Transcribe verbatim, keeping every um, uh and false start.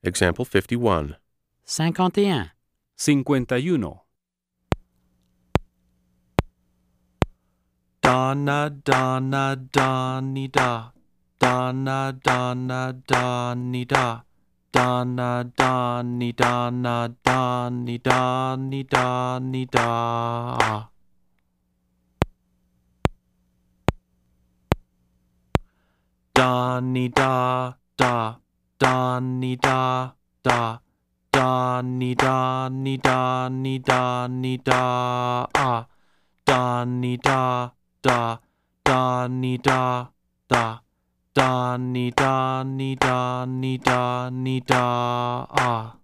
Example fifty-one. cinquante et un, cincuenta y uno. Donna, Donna, Donny, da. Donna, Donna, Donny, da. Donna, Donny, Donna, Donny, Donny, Donny, da. Donny, da, da. Donny, da, da. Donny, Donny, Donny, Donny, da. Ah. Donny, da, da. Donny, da, da. Donny, Donny, Donny, Donny, da. Ah.